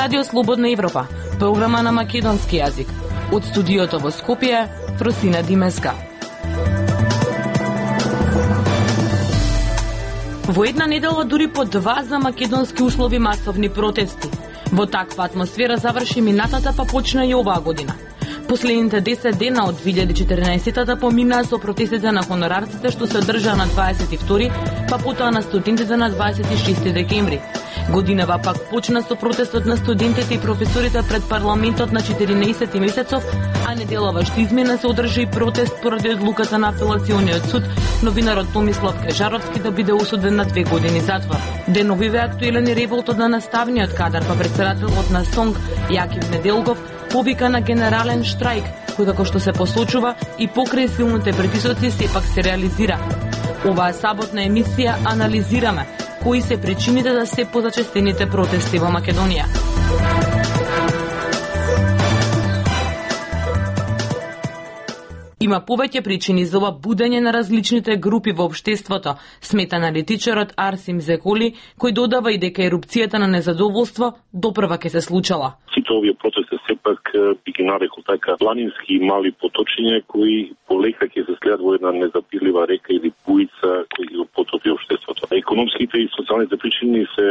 Радио Слободна Европа, програма на македонски јазик. Од студиото во Скопје, Фросина Димеска. Во една недела дури по 2 за македонски услови масовни протести. Во таква атмосфера заврши минатата, па почна и оваа година. Последните 10 дена од 2014-та поминаа со протестите на хонорарците што се одржаа на 22, па потоа на студентите на 26 декември. Годинава пак почна со протестот на студентите и професорите пред парламентот на 14 месецов, а неделава што измена се одржа и протест поради одлуката на апелациониот суд новинарот Томислав Кежаровски да биде осуден на 2 години затвор. Деновиве актуелен е револтот на наставниот кадар, па претседателот на СОНГ Јаким Неделгов повика на генерален штрајк, кој како што се посочува и покрај силните притисоци сепак се реализира. Оваа саботна емисија анализираме кои се причините за се позачестените протести во Македонија. Има повеќе причини за ова будење на различните групи во општеството, смета аналитичарот Арсим Зеколи, кој додава и дека ерупцијата на незадоволство допрва ќе се случала. Сите овие протести сепак би ги нарекол така планински и мали поточиња кои полека ќе се следат во една незапирлива река или буица кои ги потопи општеството. Економските и социјалните причини се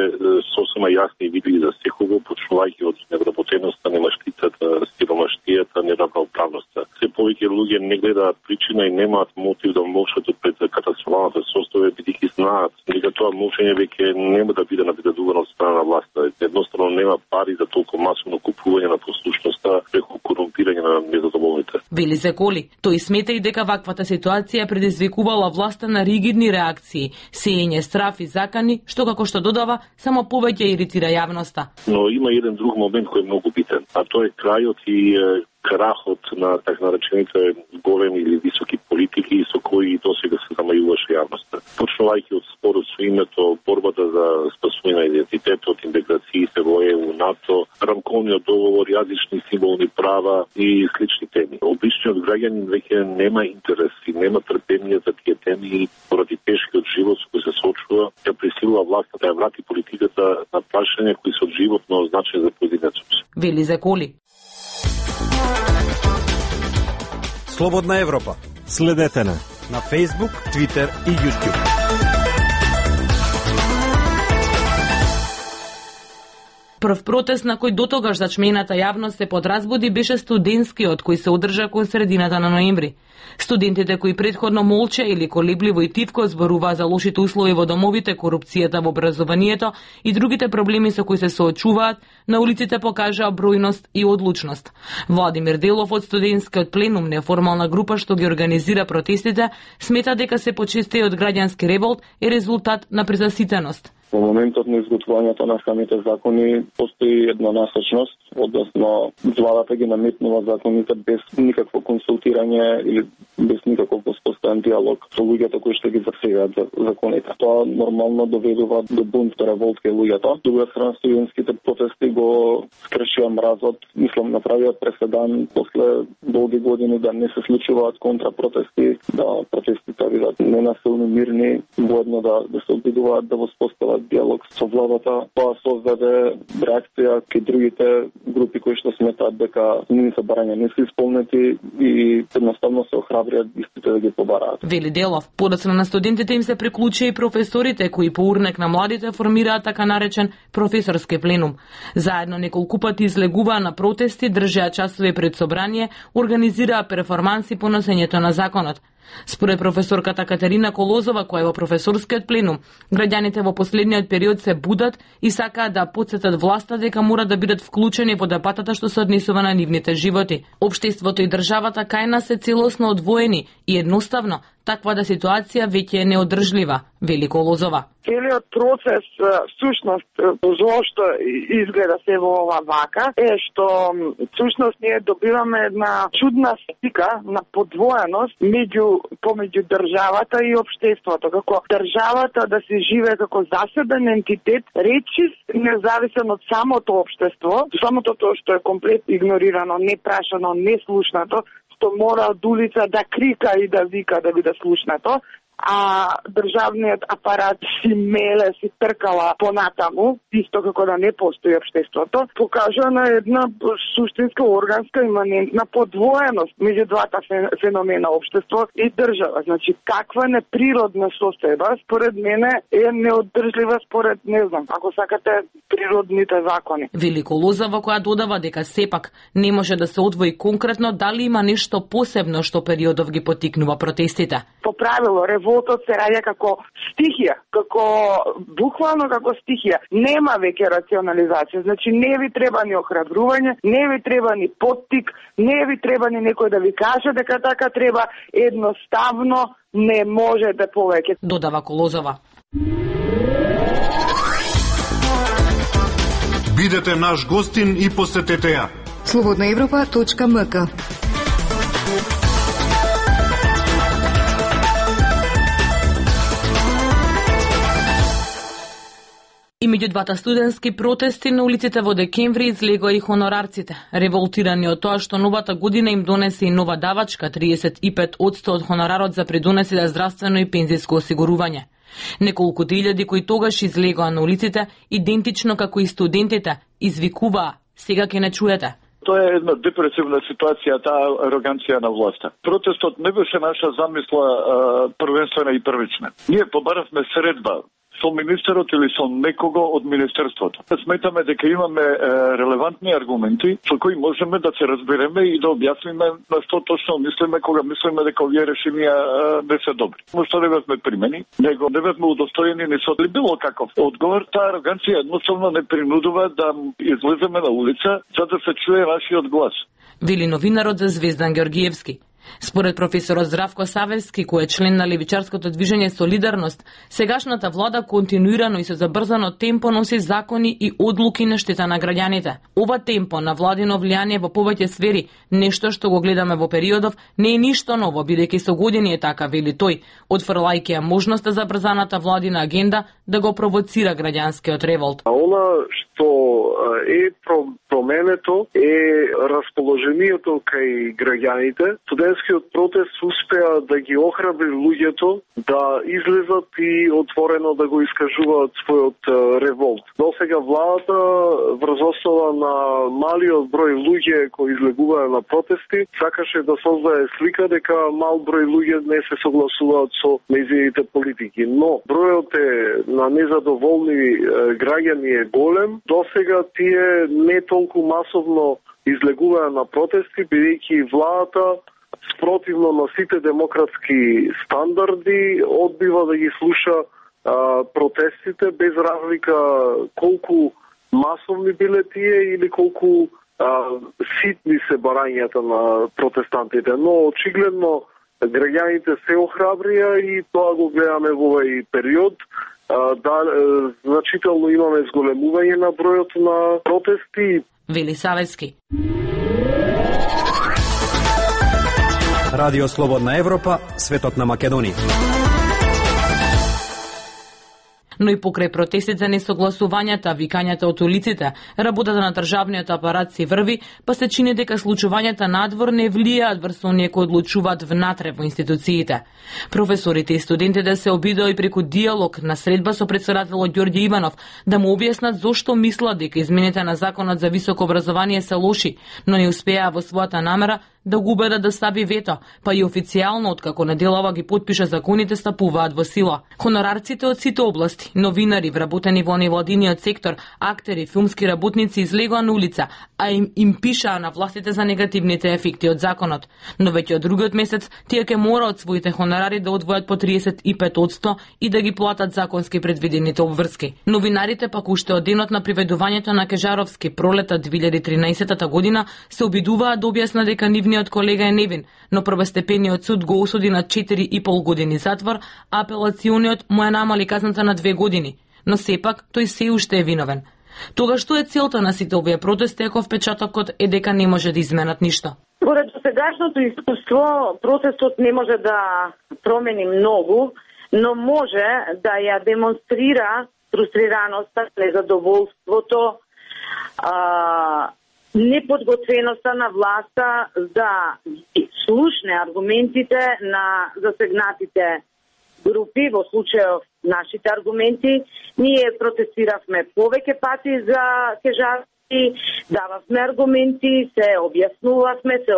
сосема јасни и видливи за секого, почнувајќи од невработеноста, немаштицата, сиромаштијата, неравноправноста. Се повеќе луѓе не гледаат причина и немаат мотив да молчат пред катастрофалната состојба, бидејќи знаат дека тоа молчење веќе нема да биде набедувано од страна на власта. Едноставно нема пари за толку масовно купување на послушноста преку корумпирање на незадоволните. Вели Зеколи, тој смета и дека ваквата ситуација предизвикувала власта на ригидни реакции, сеење страф и закани, што како што додава, само повеќе иритира јавноста. Но има еден друг момент кој е многу битен, а тоа е крајот и крахот на така наречените големи или високи политики со кои досега се замајуваше јавноста. Почнувајќи од спорот со името, борбата за спасување на идентитетот, интеграциите во ЕУ, НАТО, рамковниот договор, јазични символни права и слични теми. Обичниот граѓанин веќе нема интерес и нема трпение за тие теми и поради тешкиот живот со кој се соочува, ја присилува власта да ја врати политиката на прашања кои се од животно значај за поединецот. Вели Зеколи. Слободна Европа. Следете на Facebook, Twitter и YouTube. Прв протест на кој дотогаш зачмената јавност се подразбуди беше студентскиот кој се одржа кон средината на ноември. Студентите кои претходно молча или колебливо и тивко зборуваа за лошите услови во домовите, корупцијата во образованието и другите проблеми со кои се соочуваат, на улиците покажаа бројност и одлучност. Владимир Делов од студентскиот пленум, неформална група што ги организира протестите, смета дека се почестиот граѓански револт е резултат на презаситеност. Во моментот на изготвувањето на самите закони постои еднонасочност, односно владата ги наметнува законите без никакво консултирање или без никаков воспоставен диалог со луѓето кои што ги засегаат законите. Тоа нормално доведува до бунт, до револт кај луѓето. Друга страна, студентските протести го скршија мразот, мислам направија преседан после долги години да не се случуваат контрапротести, да протестите бидат ненасилни, мирни, воедно да се обидуваат да воспостават диалог со владата. Тоа создаде реакција кај другите групи кои што сметаат дека нивните барања не се исполнети и едноставно се охрабриат истите да ги побараат. Вели Делов, подоцна на студентите им се приклучија и професорите кои по урнек на младите формираат така наречен професорски пленум. Заедно неколку пати излегуваа на протести, држеа часови пред собрание, организираа перформанси по носењето на законот. Според професорката Катерина Колозова, која е во професорскиот пленум, граѓаните во последниот период се будат и сакаат да потсетат власта дека мора да бидат вклучени во дебатата што се однесува на нивните животи. Општеството и државата кај нас се целосно одвоени и едноставно таквата ситуација веќе е неодржлива, вели Колозова. Целиот процес, всушност, зошто изгледа се во ова вака, е што всушност ние добиваме една чудна слика на подвоеност помеѓу државата и општеството. Како државата да се живее како заседен ентитет, речис независен од самото општество, самото тоа што е комплет игнорирано, непрашано, неслушнато, што мора од улица да крика и да вика да биде слушнато, а државниот апарат си меле, си тркала понатаму, исто како да не постои општеството, покажа на една суштинска, органска, иманентна подвоеност меѓу двата феномена општество и држава. Значи, каква неприродна состојба, според мене, е неодржлива според, не знам, ако сакате, природните закони. Велико Лозова, која додава дека сепак не може да се одвои конкретно дали има нешто посебно што периодов ги потикнува протестите. По правило, револтот се раѓа како стихија, како буквално како стихија. Нема веќе рационализација. Значи, не ви треба ни охрабрување, не ви треба ни поттик, не ви треба ни некој да ви каже дека така треба, едноставно не може да повеќе. Додава Колозова. Бидете наш гостин и посетете ја. Slobodnaevropa.mk. И меѓу двата студентски протести на улиците во декември излегоа и хонорарците, револтирани од тоа што новата година им донесе и нова давачка 35% од хонорарот за придонесите здравствено и пензиско осигурување. Неколку илјади кои тогаш излегоа на улиците, идентично како и студентите, извикуваа: сега ќе не чуете. Тоа е една депресивна ситуација, таа ароганција на власта. Протестот не беше наша замисла првенствена и првична. Ние побаравме средба со министерот или со некого од министерството. Сметаме дека имаме релевантни аргументи со кои можеме да се разбереме и да објасниме на што точно мислиме кога мислиме дека овие решенија не се добри. Што не бевме примени, него не бевме удостоени ни со било каков одговор. Таа ароганција едноставно не принудува да излеземе на улица за да се чуе нашиот глас. Вели новинарот за Звездан Георгиевски. Според професорот Здравко Савевски, кој е член на левичарското движење Солидарност, сегашната влада континуирано и со забрзано темпо носи закони и одлуки на штета на граѓаните. Ова темпо на владино влијание во повеќе сфери, нешто што го гледаме во периодов, не е ништо ново, бидејќи со години е така, вели тој, отфрлајќи ја можноста за брзаната владина агенда да го провоцира граѓанскиот револт. Она што е променето е расположението кај граѓаните. Студентскиот протест успеа да ги охрабри луѓето да излезат и отворено да го искажуваат својот револт. Досега владата врз основа на малиот број луѓе кои излегуваа на протести сакаше да создае слика дека мал број луѓе не се согласуваат со нејзините политики, но бројот на незадоволни граѓани е голем. Досега тие не толку масовно излегуваа на протести, бидејќи владата спротивно на сите демократски стандарди одбива да ги слуша протестите без разлика колку масовни биле тие или колку ситни се барањата на протестантите. Но очигледно граѓаните се охрабрија и тоа го гледаме во овој период. Значително имаме зголемување на бројот на протести. Вели Савески. Радио Слободна Европа, светот на Македонија. Но и покрај протестите, несогласувањата, викањата од улиците, работата на државниот апарат си врви, па се чини дека случувањата надвор не влијаат врз оние кои одлучуваат внатре во институциите. Професорите и студентите се обидоа и преку диалог на средба со претседателот Ѓорѓе Иванов да му објаснат зошто мислат дека измените на законот за високо образование се лоши, но не успеа во својата намера да го убедат да стави вето, па и официјално откако неделава ги потпиша законите стапуваат во сила. Хонорарците од сите области, новинари, вработени во невладиниот сектор, актери, филмски работници излегоа на улица, а им пишаа на властите за негативните ефекти од законот. Но веќе од другиот месец тие ќе мораат своите хонорари да одвојат по 35% и да ги платат законски предвидените обврски. Новинарите пак уште од денот на приведувањето на Кежаровски пролета 2013 година се обидуваат да објаснат дека нивниот колега е невин, но првостепениот суд го осуди на 4,5 години затвор, а апелациониот му ја намали казната на 2 години, но сепак тој се уште е виновен. Тога што е целта на сите овие протести ако впечатокот е дека не може да изменат ништо? Според сегашното искуство, протестот не може да промени многу, но може да ја демонстрира фрустрираноста, незадоволството, неподготвеноста на власта да слушне аргументите на засегнатите групи, во случајов нашите аргументи, ние протестиравме повеќе пати за кежарски, дававме аргументи, се објаснувавме, се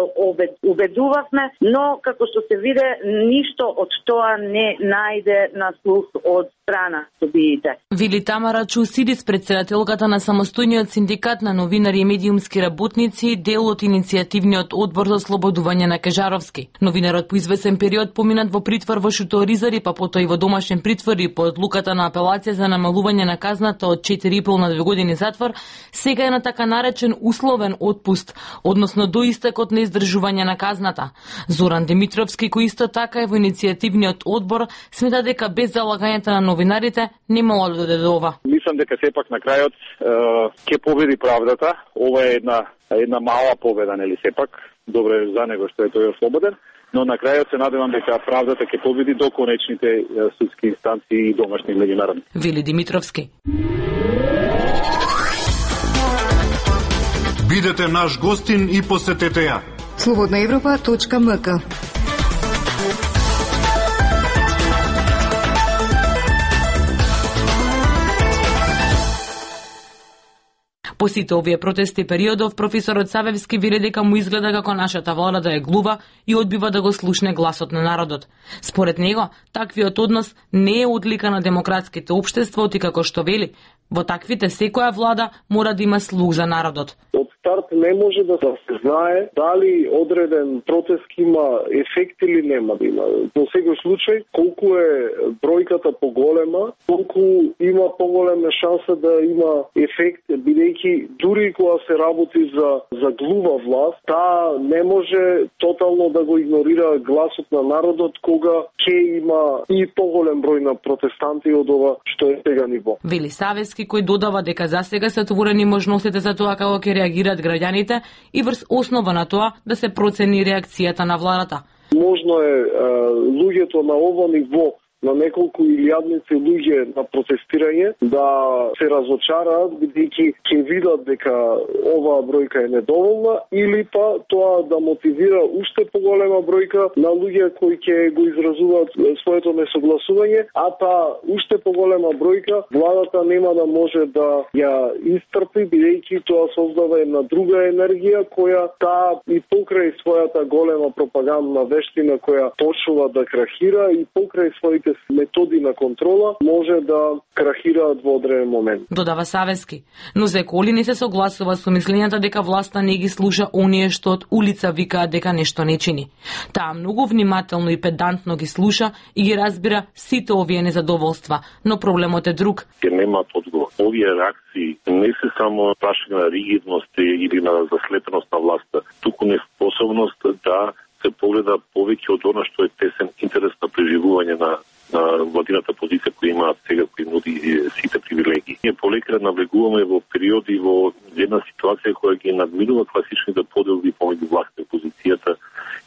убедувавме, но како што се виде, ништо од тоа не најде на слух од страна собиите. Вели Тамара Чусидис, председателката на самостојниот синдикат на новинари и медиумски работници, дел од иницијативниот одбор за ослободување на Кежаровски. Новинарот по извесен период поминат во притвор во Шуторизари, па потоа и во домашен притвор и по одлуката на апелација за намалување на казната од 4,5 на 2 години затвор, сега е на така наречен условен отпуст, односно до истекот на издржување на казната. Зоран Димитровски, кој исто така е во иницијативниот одбор, смета дека без залагањето на новинарите немало да дојде до ова. Мислам дека сепак на крајот ќе победи правдата. Ова е една мала победа, нели сепак. Добре за него што е тој ослободен, но на крајот се надевам дека правдата ќе победи до конечните судски инстанции и домашни и меѓународни. Вели Димитровски. Бидете наш гостин и посетете ја. Slobodnaevropa.mk. По сите овие протести периодов, професорот Савевски вели дека му изгледа како нашата влада да е глува и одбива да го слушне гласот на народот. Според него, таквиот однос не е одлика на демократските општества, оти како што вели, во таквите секоја влада мора да има слух за народот. Од старт не може да се знае дали одреден протест има ефект или нема да има. Во секој случај, колку е бројката поголема, толку има поголема шанса да има ефект, бидејќи дури кога се работи за глува власт, таа не може тотално да го игнорира гласот на народот кога ќе има и поголем број на протестанти од ова што е сега ниво. Вели Савевски, кој додава дека за сега се отворени можностите за тоа како ќе реагираат граѓаните и врз основа на тоа да се процени реакцијата на владата. Можно е луѓето на ово ниво, на неколку илјадници луѓе на протестирање да се разочараат, бидејќи ќе видат дека оваа бројка е недоволна, или па тоа да мотивира уште поголема бројка на луѓе кои ќе го изразуваат своето несогласување, а та уште поголема бројка владата нема да може да ја истрпи, бидејќи тоа создава една друга енергија која таа и покрај својата голема пропагандна вештина која почнува да крахира и покрај своите методи на контрола може да крахираат во одреден момент. Додава Савевски, но Зеколи не се согласува со мислењата дека власта не ги слуша оние што од улица викаат дека нешто не чини. Таа многу внимателно и педантно ги слуша и ги разбира сите овие незадоволства, но проблемот е друг. Немаат одговор. Овие реакции не се само прашање на ригидност или на заслепеност на власта, туку неспособност да се погледа повеќе од она што е тесен интерес на преживување на владината позиција која имаат сега, кој нуди сите привилегии. Ние полека навлегуваме во периоди во една ситуација која ги надминува класичните поделби помеѓу власта и опозицијата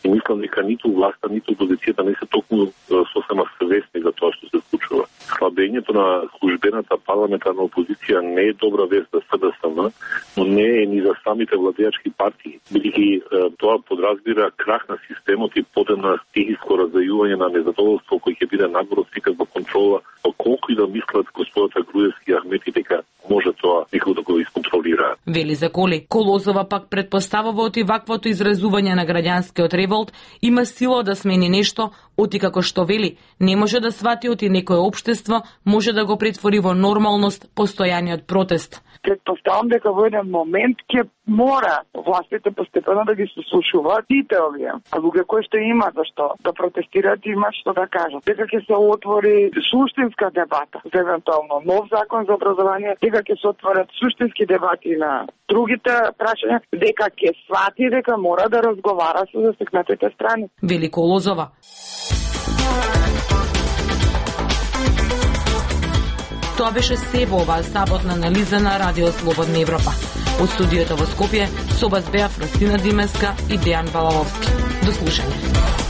и мислам дека ниту власта, ниту опозицијата не се токму сосема свесни за тоа што се случува. Слабењето на службената парламентарна опозиција не е добра вест за СДСМ, но не е ни за самите владеачки партии, бидејќи тоа подразбира крах на системот и подена стихиско раздајување на незадоволство кој ќе биде нагоро свикат во контрола, колку и да мислат господата Груевски и Ахмети дека може тоа некој да го исконтролира. Вели Зеколи. Колозова пак предпоставува оти ваквото изразување на граѓанскиот револт има сила да смени нешто, оти како што вели, не може да свати оти некое општество, може да го претвори во нормалност постојаниот протест. Предпоставам дека во еден момент ќе мора властите постепено да ги сослушуваат сите овие. А луѓе кои што има зашто да протестираат имаат што да кажат. Дека ќе се отвори суштинска дебата за евентуално нов закон за образование, дека ќе се отворат суштински дебати на другите прашања, дека ќе свати дека мора да разговара со засекнатите страни. Вели Колозова. Тоа беше се во оваа саботна анализа на Радио Слободна Европа. Од студиото во Скопје, со вас беа Фростина Димеска и Дејан Балаловски. До слушање.